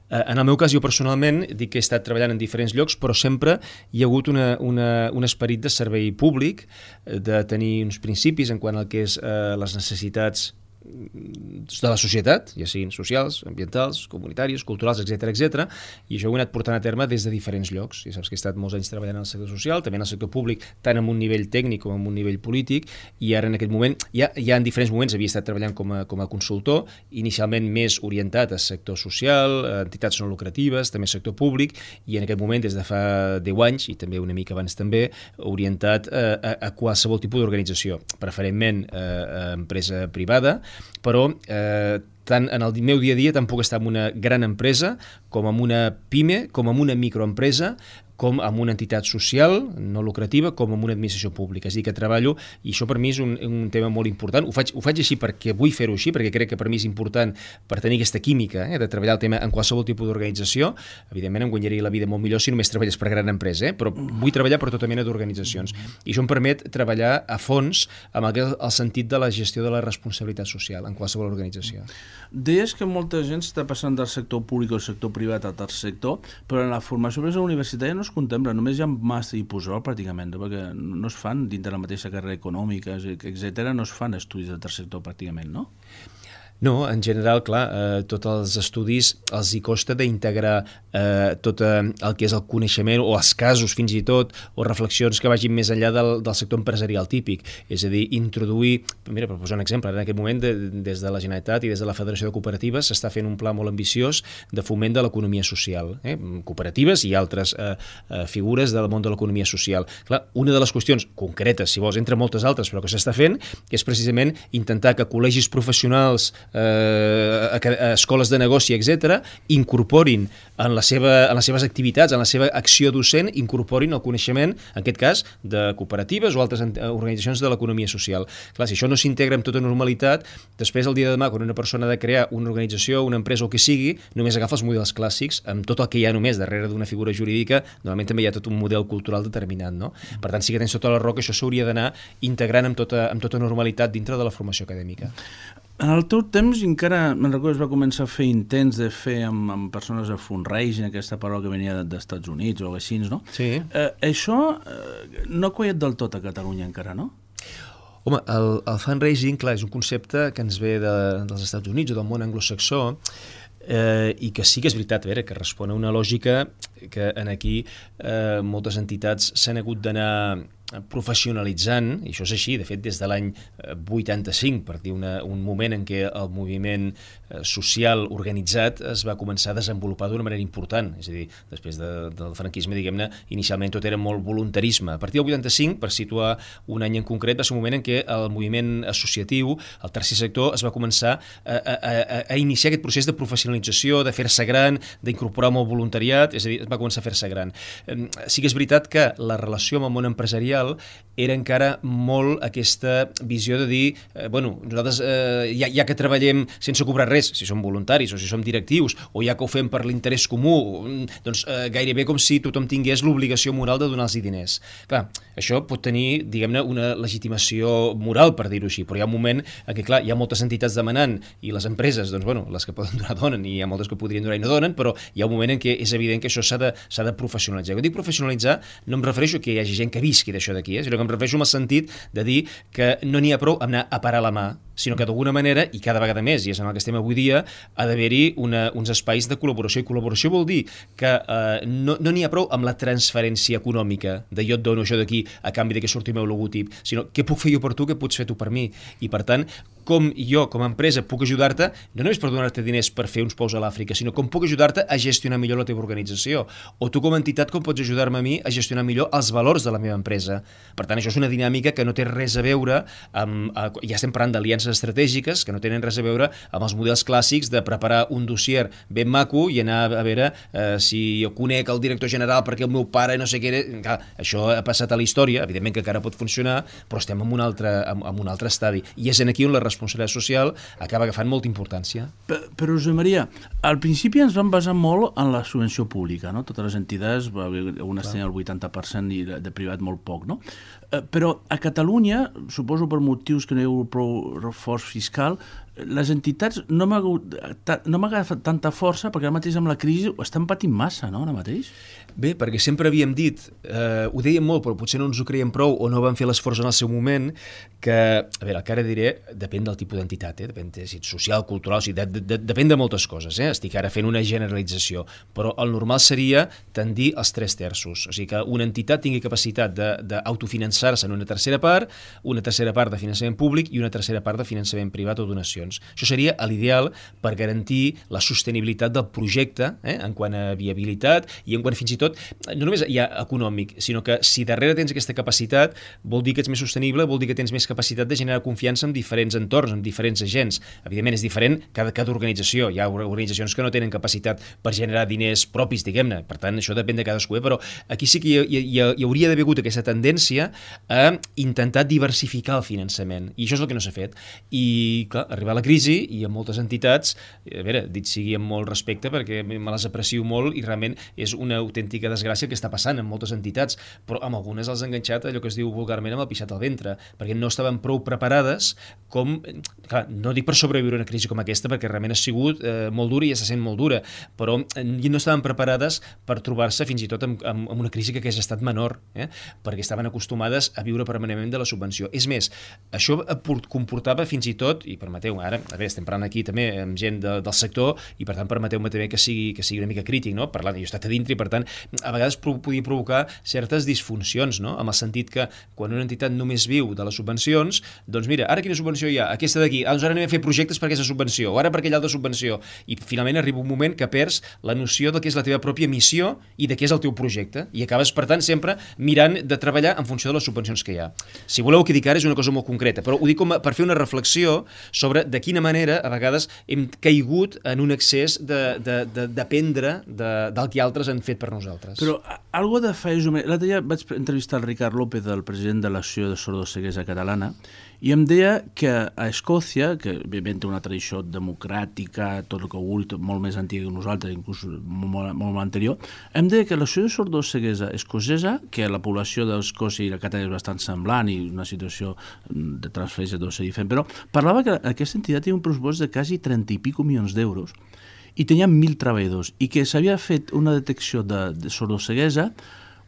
Speaker 7: En el meu cas, jo personalment, dic que he estat treballant en diferents llocs, però sempre hi ha hagut un esperit de servei públic, de tenir uns principis en quant al que és les necessitats de la societat, ja siguin socials, ambientals, comunitàries, culturals, etc, i això ho he anat portant a terme des de diferents llocs. Ja saps que he estat molts anys treballant en el sector social, també en el sector públic, tant en un nivell tècnic com en un nivell polític, i ara en aquest moment, ja en diferents moments havia estat treballant com a consultor, inicialment més orientat al sector social, entitats no lucratives, també sector públic, i en aquest moment, des de fa 10 anys, i també una mica abans també, orientat a qualsevol tipus d'organització, preferentment empresa privada, però tant en el meu dia a dia tant puc estar en una gran empresa com en una PIME, com en una microempresa, com amb una entitat social no lucrativa, com amb una administració pública. És a dir, que treballo, i això per mi és un tema molt important. Ho faig així perquè vull fer-ho així, perquè crec que per mi és important per tenir aquesta química, de treballar el tema en qualsevol tipus d'organització. Evidentment em guanyaria la vida molt millor si només treballes per gran empresa, però vull treballar per tota mena d'organitzacions. I això em permet treballar a fons amb el sentit de la gestió de la responsabilitat social en qualsevol organització.
Speaker 2: Deies que molta gent està passant del sector públic al sector privat al tercer sector, però en la formació universitària no es contempla, només hi ha màster i postgrau pràcticament, perquè no es fan dintre la mateixa carrera econòmica, etc., no es fan estudis del tercer sector pràcticament, no?
Speaker 7: No, en general, clar, tots els estudis els hi costa d'integrar tot el que és el coneixement o els casos fins i tot, o reflexions que vagin més enllà del sector empresarial típic. És a dir, introduir, mira, per posar un exemple, en aquest moment des de la Generalitat i des de la Federació de Cooperatives s'està fent un pla molt ambiciós de foment de l'economia social, cooperatives i altres figures del món de l'economia social. Clar, una de les qüestions concretes, si vols, entre moltes altres, però que s'està fent, és precisament intentar que col·legis professionals, escoles de negoci, etc., incorporin en les seves activitats, en la seva acció docent, incorporin el coneixement, en aquest cas, de cooperatives o altres organitzacions de l'economia social. Clar, si això no s'integra amb tota normalitat, després, el dia de demà, quan una persona ha de crear una organització, una empresa o el que sigui, només agafa els models clàssics, amb tot el que hi ha només darrere d'una figura jurídica, normalment també hi ha tot un model cultural determinat, no? Per tant, sí que tens tota la raó que això s'hauria d'anar integrant amb tota normalitat dintre de la formació acadèmica.
Speaker 2: En el teu temps encara, me'n recordo, es va començar a fer intents de fer amb persones de fundraising, aquesta paraula que venia dels Estats Units o així, no?
Speaker 7: Sí.
Speaker 2: Això no ha quallat del tot a Catalunya encara, no?
Speaker 7: Home, el fundraising, clar, és un concepte que ens ve dels Estats Units o del món anglosaxó, i que sí que és veritat, que respon a una lògica que aquí moltes entitats s'han hagut d'anar professionalitzant, i això és així, de fet des de l'any 85, per dir un moment en què el moviment social organitzat es va començar a desenvolupar d'una manera important, és a dir, després del franquisme, diguem-ne, inicialment tot era molt voluntarisme. A partir del 85, per situar un any en concret, va ser un moment en què el moviment associatiu, el tercer sector, es va començar a iniciar aquest procés de professionalització, de fer-se gran, d'incorporar molt voluntariat, és a dir, es va començar a fer-se gran. Sí que és veritat que la relació amb el món empresarial empresarial era encara molt aquesta visió de dir, nosaltres ja que treballem sense cobrar res, si som voluntaris o si som directius, o ja que ho fem per l'interès comú, doncs gairebé com si tothom tingués l'obligació moral de donar-los diners. Clar, això pot tenir, diguem-ne, una legitimació moral, per dir-ho així, però hi ha un moment en què, clar, hi ha moltes entitats demanant i les empreses, doncs, les que poden donar donen i hi ha moltes que podrien donar i no donen, però hi ha un moment en què és evident que això s'ha de professionalitzar. Quan dic professionalitzar, no em refereixo que hi hagi gent que visqui d'això d'aquí, sinó que em refereixo en el sentit de dir que no n'hi ha prou amb anar a parar la mà, sinó que d'alguna manera, i cada vegada més, i és en el que estem avui dia, ha d'haver-hi uns espais de col·laboració, i col·laboració vol dir que no n'hi ha prou amb la transferència econòmica, de jo et dono això d'aquí a canvi de que surti el meu logotip, sinó què puc fer jo per tu, què pots fer tu per mi, i per tant, com jo, com a empresa, puc ajudar-te, no només per donar-te diners per fer uns pous a l'Àfrica, sinó com puc ajudar-te a gestionar millor la teva organització, o tu com a entitat com pots ajudar-me a mi a gestionar millor els valors de la meva empresa. Per tant, això és una dinàmica que no té res a veure amb, ja estem parlant d'aliances estratègiques, que no tenen res a veure amb els models clàssics de preparar un dossier ben maco i anar a veure si jo conec el director general perquè el meu pare no sé què era. Clar, això ha passat a la història, evidentment que encara pot funcionar, però estem en un altre estadi. I és aquí on la responsabilitat social acaba agafant molta importància.
Speaker 2: Però, Josep Maria, al principi ens vam basar molt en la subvenció pública, no? Totes les entitats, algunes tenien el 80% i de privat molt poc, no? Però a Catalunya, suposo per motius que no hi ha prou reforç fiscal, les entitats no m'ha agafat tanta força perquè ara mateix amb la crisi ho estan patint massa, no, ara mateix?
Speaker 7: Bé, perquè sempre havíem dit, ho dèiem molt, però potser no ens ho creiem prou o no vam fer l'esforç en el seu moment, que, a veure, el que ara diré depèn del tipus d'entitat, depèn de si ets social, cultural, o sigui, depèn de moltes coses, estic ara fent una generalització, però el normal seria tendir als 3/3, o sigui que una entitat tingui capacitat d'autofinançar-se en una tercera part de finançament públic i una tercera part de finançament privat o donacions. Això seria l'ideal per garantir la sostenibilitat del projecte en quant a viabilitat i en quant fins i tot, no només hi ha econòmic, sinó que si darrere tens aquesta capacitat vol dir que ets més sostenible, vol dir que tens més capacitat de generar confiança en diferents entorns, en diferents agents. Evidentment és diferent cada organització. Hi ha organitzacions que no tenen capacitat per generar diners propis, diguem-ne. Per tant, això depèn de cadascú, però aquí sí que hi hauria d'haver hagut aquesta tendència a intentar diversificar el finançament. I això és el que no s'ha fet. I, clar, arribar a la crisi i amb moltes entitats, a veure, dit sigui amb molt respecte perquè me les aprecio molt i realment és una autèntica desgràcia que està passant en moltes entitats, però amb algunes els ha enganxat allò que es diu vulgarment amb el pixat al ventre, perquè no estaven prou preparades com, clar, no dic per sobreviure una crisi com aquesta perquè realment ha sigut molt dura i està sent molt dura, però no estaven preparades per trobar-se fins i tot amb una crisi que hagués estat menor, perquè estaven acostumades a viure permanentment de la subvenció. És més, això comportava fins i tot, i permeteu, ara, a veure, estem parlant aquí també amb gent del sector i per tant permeteu-me també que sigui una mica crític, no? Parlant, jo he estat a dintre i per tant a vegades podia provocar certes disfuncions, no? En el sentit que quan una entitat només viu de les subvencions, doncs mira, ara quina subvenció hi ha? Aquesta d'aquí, doncs ara anem a fer projectes per aquesta subvenció, o ara per aquella altra subvenció, i finalment arriba un moment que perds la noció de què és la teva pròpia missió i de què és el teu projecte, i acabes per tant sempre mirant de treballar en funció de les subvencions que hi ha. Si voleu que dic ara és una cosa molt concreta, però ho dic com per fer una reflexió sobre de quina manera a vegades hem caigut en un excés de dependre del que altres han fet per nosaltres.
Speaker 2: Però algo de fa... L'altre dia vaig entrevistar el Ricard López, el president de l'Associació de Sordoceguesa Catalana, i em deia que a Escòcia, que òbviament té una tradició democràtica, tot el que vulgui, molt més antiga que nosaltres, inclús molt anterior, em deia que l'Associació de Sordoceguesa escocesa, que la població d'Escòcia i la Catalana és bastant semblant i una situació de transferència deu ser diferent, però parlava que aquesta entitat té un pressupost de quasi 30 i pico milions d'euros i tenia 1.000 treballadors i que s'havia fet una detecció de sordoceguesa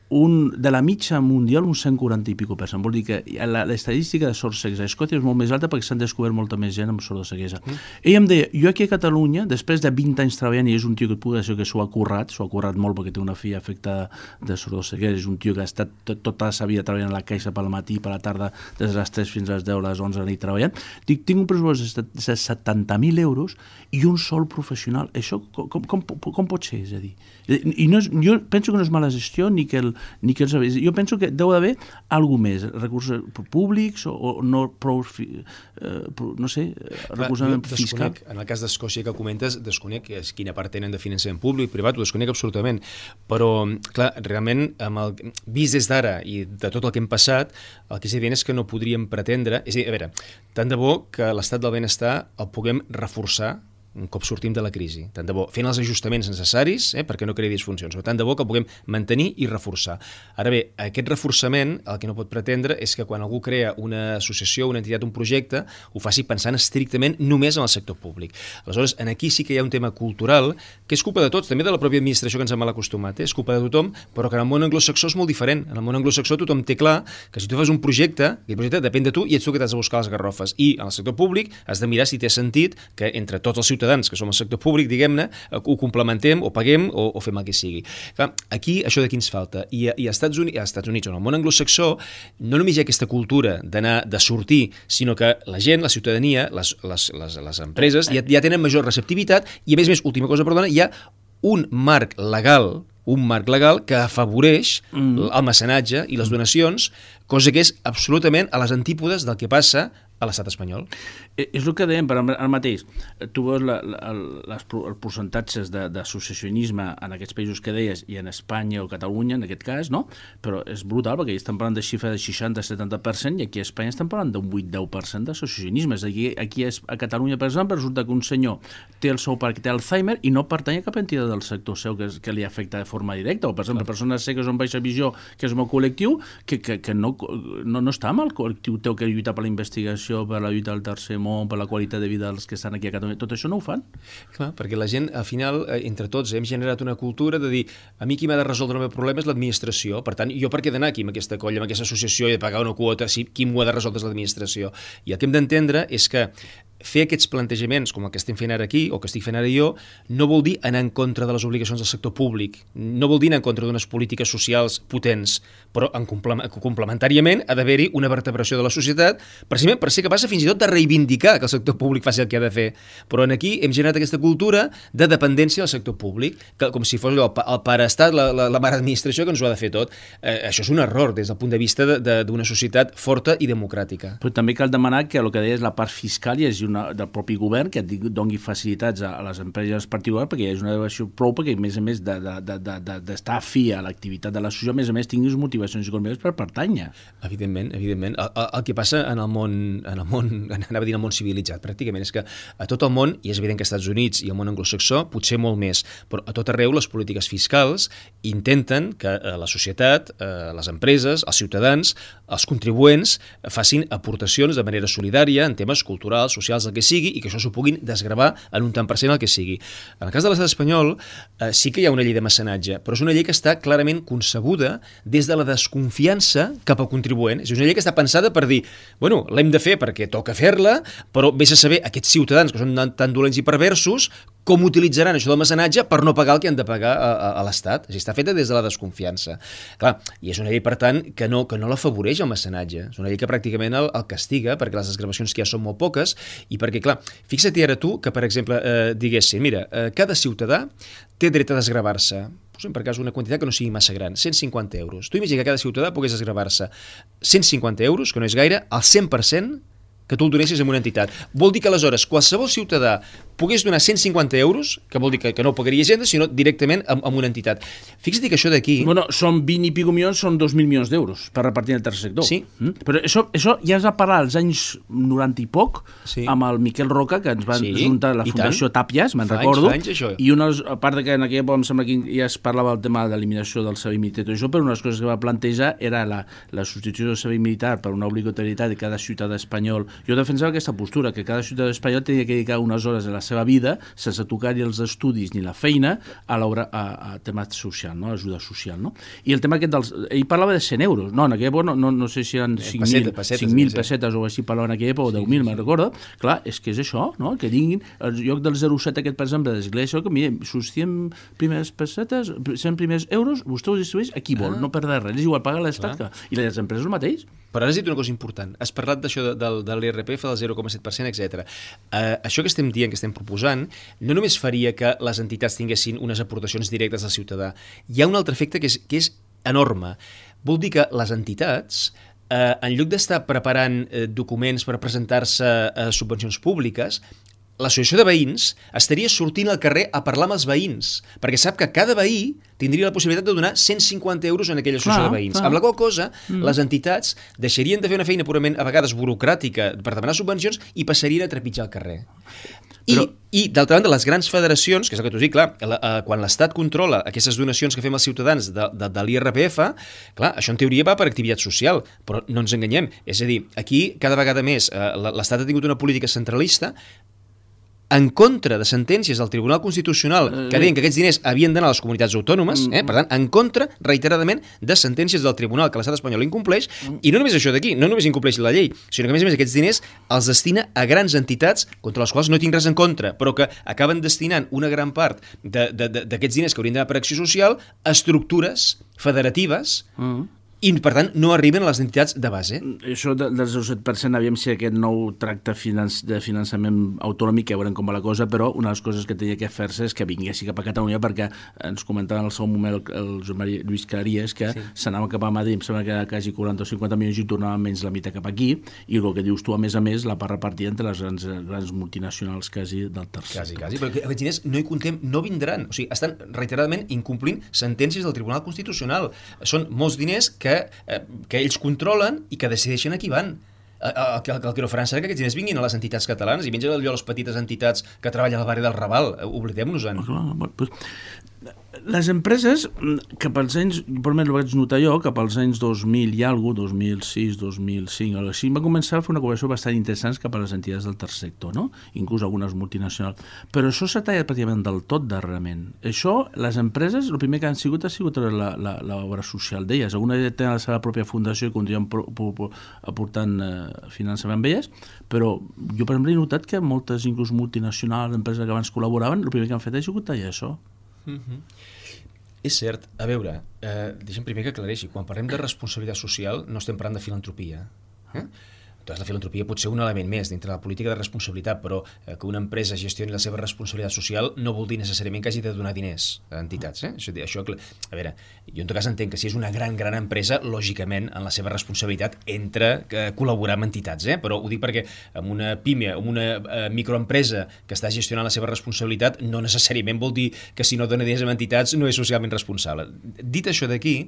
Speaker 2: de la mitja mundial un 140 i pico per cent. Vol dir que l'estadística de sordoceguesa a Escòcia és molt més alta perquè s'han descobert molta més gent amb sordoceguesa. Ell em deia, jo aquí a Catalunya, després de 20 anys treballant, i és un tio que et puc dir que s'ho ha currat molt perquè té una filla afectada de sordoceguesa, és un tio que ha estat tota la seva vida treballant a la caixa pel matí, per la tarda, des de les 3 fins a les 10, a les 11 a la nit treballant. Dic, tinc un pressupost de 70.000 euros i un sol professional. Això com pot ser? És a dir, i jo penso que no és mala gestió ni que ni que jo penso que deu d'haver alguna més, recursos públics o no prou, no sé, recolzament fiscal.
Speaker 7: En el cas d'Escòcia que comentes, desconec quina part tenen de finançament públic, privat, ho desconec absolutament, però, clar, realment, vist des d'ara i de tot el que hem passat, el que és evident és que no podríem pretendre, és a dir, a veure, tant de bo que l'estat del benestar el puguem reforçar un cop sortim de la crisi, tant de bo, fent els ajustaments necessaris perquè no creï disfuncions, però tant de bo que el puguem mantenir i reforçar. Ara bé, aquest reforçament el que no pot pretendre és que quan algú crea una associació, una entitat, un projecte, ho faci pensant estrictament només en el sector públic. Aleshores, aquí sí que hi ha un tema cultural que és culpa de tots, també de la pròpia administració que ens ha mal acostumat, és culpa de tothom, però que en el món anglosaxó és molt diferent. En el món anglosaxó tothom té clar que si tu fas un projecte, aquest projecte depèn de tu i ets tu que t'has de buscar les garrofes. I en el sector públic has de mirar si té sentit que entre tots els ciutadans que som al sector públic, diguem-ne, ho complementem o paguem o fem el que sigui. Clar, aquí això d'aquí ens falta. I als Estats Units, en el món anglosaxó, no només hi ha aquesta cultura de sortir, sinó que la gent, la ciutadania, les empreses ja tenen major receptivitat i, a més, última cosa, perdona, hi ha un marc legal que afavoreix el mecenatge i les donacions, cosa que és absolutament a les antípodes del que passa a l'estat espanyol.
Speaker 2: És el que dèiem, però ara mateix, tu veus els percentatges d'associacionisme en aquests països que deies, i en Espanya o Catalunya, en aquest cas, no? Però és brutal, perquè estan parlant de xifra de 60-70%, i aquí a Espanya estan parlant d'un 8-10% d'associacionisme. És a dir, aquí a Catalunya, per exemple, resulta que un senyor té el seu perquè té Alzheimer i no pertany a cap entitat del sector seu que li afecta de forma directa, o, per exemple, persones cegues amb baixa visió, que és el meu col·lectiu, que no està amb el col·lectiu teu que lluita per la investigació, per la lluita del tercer món, per la qualitat de vida dels que estan aquí a Catalunya. Tot això no ho fan.
Speaker 7: Clar, perquè la gent, al final, entre tots, hem generat una cultura de dir, a mi qui m'ha de resoldre el meu problema és l'administració, per tant, jo per què he d'anar aquí amb aquesta colla, amb aquesta associació i de pagar una quota, si qui m'ho ha de resoldre és l'administració? I el que hem d'entendre és que fer aquests plantejaments, com el que estem fent ara aquí, o que estic fent ara jo, no vol dir anar en contra de les obligacions del sector públic, no vol dir anar en contra d'unes polítiques socials potents, però complementàriament ha d'haver-hi una vertebració de la societat, precisament per ser capaç fins i tot de reivindicar que el sector públic faci el que ha de fer. Però aquí hem generat aquesta cultura de dependència del sector públic, que, com si fos el pareestat, la mare administració que ens ho ha de fer tot. Això és un error des del punt de vista d'una societat forta i democràtica.
Speaker 2: Però també cal demanar que el que deies la part fiscal hi hagi del propi govern que doni facilitats a les empreses particulars perquè hi hagi una devació prou perquè a més d'estar afí a l'activitat de l'associació, a més tinguis motivacions econòmiques per pertànyer.
Speaker 7: Evidentment. El que passa en el món, anava a dir en el món civilitzat, pràcticament, és que a tot el món, i és evident que als Estats Units i al món anglosaxó, potser molt més, però a tot arreu les polítiques fiscals intenten que la societat, les empreses, els ciutadans, els contribuents facin aportacions de manera solidària en temes culturals, socials, el que sigui, i que això s'ho puguin desgravar en un tant per cent el que sigui. En el cas de l'estat espanyol sí que hi ha una llei de mecenatge, però és una llei que està clarament concebuda des de la desconfiança cap al contribuent. És una llei que està pensada per dir, bueno, l'hem de fer perquè toca fer-la, però vés a saber aquests ciutadans que són tan dolents i perversos com utilitzaran això del mecenatge per no pagar el que han de pagar a l'Estat. És a dir, està feta des de la desconfiança. Clar, i és una llei, per tant, que no l'afavoreix el mecenatge. És una llei que pràcticament el castiga perquè les desgravacions que hi ha són molt poques i perquè, clar, fixa't ara tu que, per exemple, diguessin, mira, cada ciutadà té dret a desgravar-se, posem per cas una quantitat que no sigui massa gran, 150 euros. Tu imagina que cada ciutadà pogués desgravar-se 150 euros, que no és gaire, al 100% que tu el donessis a una entitat. Vol dir que aleshores qualsevol ciutadà pogués donar 150 euros, que vol dir que no pagaria gent, sinó directament amb una entitat. Fixa't que això d'aquí...
Speaker 2: Bueno, són 20 i pico milions, són 2.000 milions d'euros per repartir en el tercer sector.
Speaker 7: Sí.
Speaker 2: Però això ja es va parlar als anys 90 i poc, amb el Miquel Roca, que ens van juntar la Fundació Tàpies, me'n recordo, i a part que en aquella època em sembla que ja es parlava del tema de l'eliminació del servei militar i tot això, però una de les coses que va plantejar era la substitució del servei militar per una obligatorietat de cada ciutadà espanyol. Jo defensava aquesta postura, que cada ciutadà espanyol tenia que dedicar unes hores de la seva vida sense tocar-hi els estudis ni la feina a tema social, no? Ajuda social, no? I el tema aquest ell parlava de 100 euros, no, en aquella època no sé si eren 5.000 pessetes o així parlava en aquella època, o 10.000, me'n recordo. Clar, és que és això, no? Que tinguin el lloc del 0,7 aquest, per exemple, d'església, que mire, sus 100 primeres pessetes, 100 primers euros, vostè ho distribueix a qui vol, no perdre res, és igual, paga l'Estat. I les empreses el mateix.
Speaker 7: Però ara has dit una cosa important. Has parlat d'això de l'IRPF, del 0,7%, etc. Això que estem dient, que estem proposant, no només faria que les entitats tinguessin unes aportacions directes al ciutadà. Hi ha un altre efecte que és enorme. Vol dir que les entitats, en lloc d'estar preparant documents per presentar-se a subvencions públiques, l'associació de veïns estaria sortint al carrer a parlar amb els veïns, perquè sap que cada veí tindria la possibilitat de donar 150 euros en aquella associació de veïns. Amb la qual cosa, les entitats deixarien de fer una feina purament, a vegades, burocràtica per demanar subvencions i passarien a trepitjar al carrer. I d'altra banda, les grans federacions, que és el que t'ho dic, clar, quan l'Estat controla aquestes donacions que fem als ciutadans de l'IRPF, clar, això en teoria va per activitat social, però no ens enganyem. És a dir, aquí cada vegada més l'Estat ha tingut una política centralista en contra de sentències del Tribunal Constitucional que deien que aquests diners havien d'anar a les comunitats autònomes, per tant, en contra, reiteradament, de sentències del Tribunal que l'estat espanyol incompleix, i no només això d'aquí, no només incompleix la llei, sinó que a més aquests diners els destina a grans entitats contra les quals no tinc res en contra, però que acaben destinant una gran part d'aquests diners que haurien d'anar per acció social a estructures federatives i, per tant, no arriben a les entitats de base.
Speaker 2: Això del 7%, aviam si aquest nou tracte de finançament autonòmic, ja veurem com va la cosa, però una de les coses que tenia que fer-se és que vinguessi cap a Catalunya, perquè ens comentava en el seu moment el Josep Maria Lluís Claries que s'anava cap a Madrid, em sembla que quasi 40 o 50 milions i tornava menys la meitat cap aquí, i el que dius tu, a més, la part repartida entre les grans multinacionals quasi del tercer.
Speaker 7: Quasi, però aquests diners no hi contem, no vindran. O sigui, estan reiteradament incomplint sentències del Tribunal Constitucional. Són molts diners que ells controlen i que decideixen a qui van. El que no faran serà que aquests diners vinguin a les entitats catalanes i mengen allò a les petites entitats que treballen al barri del Raval. Oblidem-nos-en.
Speaker 2: Les empreses, cap als anys, per més ho vaig notar jo, cap als anys 2000 i alguna cosa, 2006, 2005, així, va començar a fer una cooperació bastant interessant cap a les entitats del tercer sector, no? Inclús algunes multinacionals. Però això s'ha tallat pràcticament del tot darrerament. Això, les empreses, el primer que han sigut ha sigut l'obra social d'elles. Alguna tenen la seva pròpia fundació i continuen aportant finançament amb elles, però jo, per exemple, he notat que moltes, inclús multinacionals, empreses que abans col·laboraven, el primer que han fet ha sigut tallar això.
Speaker 7: És cert. A veure, deixa'm primer que aclareixi. Quan parlem de responsabilitat social no estem parlant de filantropia. Doncs la filantropia pot ser un element més dintre la política de responsabilitat, però que una empresa gestioni la seva responsabilitat social no vol dir necessàriament que hagi de donar diners a entitats. Això, a veure, jo en tot cas entenc que si és una gran empresa, lògicament, en la seva responsabilitat entra col·laborar amb entitats, però ho dic perquè amb una pime, amb una microempresa que està gestionant la seva responsabilitat, no necessàriament vol dir que si no dona diners a entitats no és socialment responsable. Dit això d'aquí,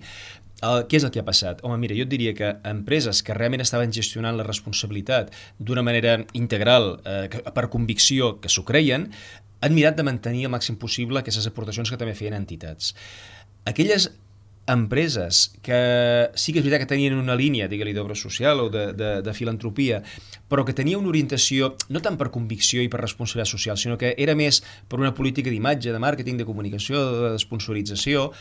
Speaker 7: què és el que ha passat? Home, mira, jo et diria que empreses que realment estaven gestionant la responsabilitat d'una manera integral, per convicció, que s'ho creien, han mirat de mantenir el màxim possible aquestes aportacions que també feien entitats. Aquelles empreses que sí que és veritat que tenien una línia, digue-li, d'obra social o de filantropia, però que tenia una orientació no tant per convicció i per responsabilitat social, sinó que era més per una política d'imatge, de màrqueting, de comunicació, de sponsorització.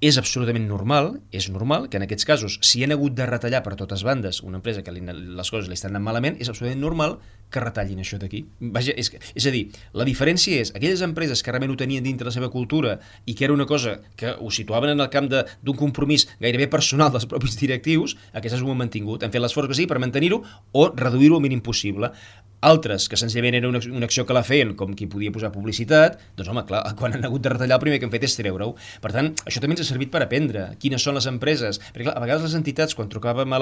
Speaker 7: És absolutament normal, que en aquests casos, si han hagut de retallar per totes bandes una empresa que les coses li estan anant malament, és absolutament normal que retallin això d'aquí. Vaja, és a dir, la diferència és aquelles empreses que realment ho tenien dintre la seva cultura i que era una cosa que ho situaven en el camp d'un compromís gairebé personal dels propis directius, aquestes ho han mantingut, han fet l'esforç que sigui per mantenir-ho o reduir-ho al mínim possible. Altres, que senzillament era una acció que la feien com qui podia posar publicitat, doncs home, clar, quan han hagut de retallar el primer que han fet és treure-ho. Per tant, això també ens ha servit per aprendre quines són les empreses, perquè clar, a vegades les entitats, quan trucàvem a la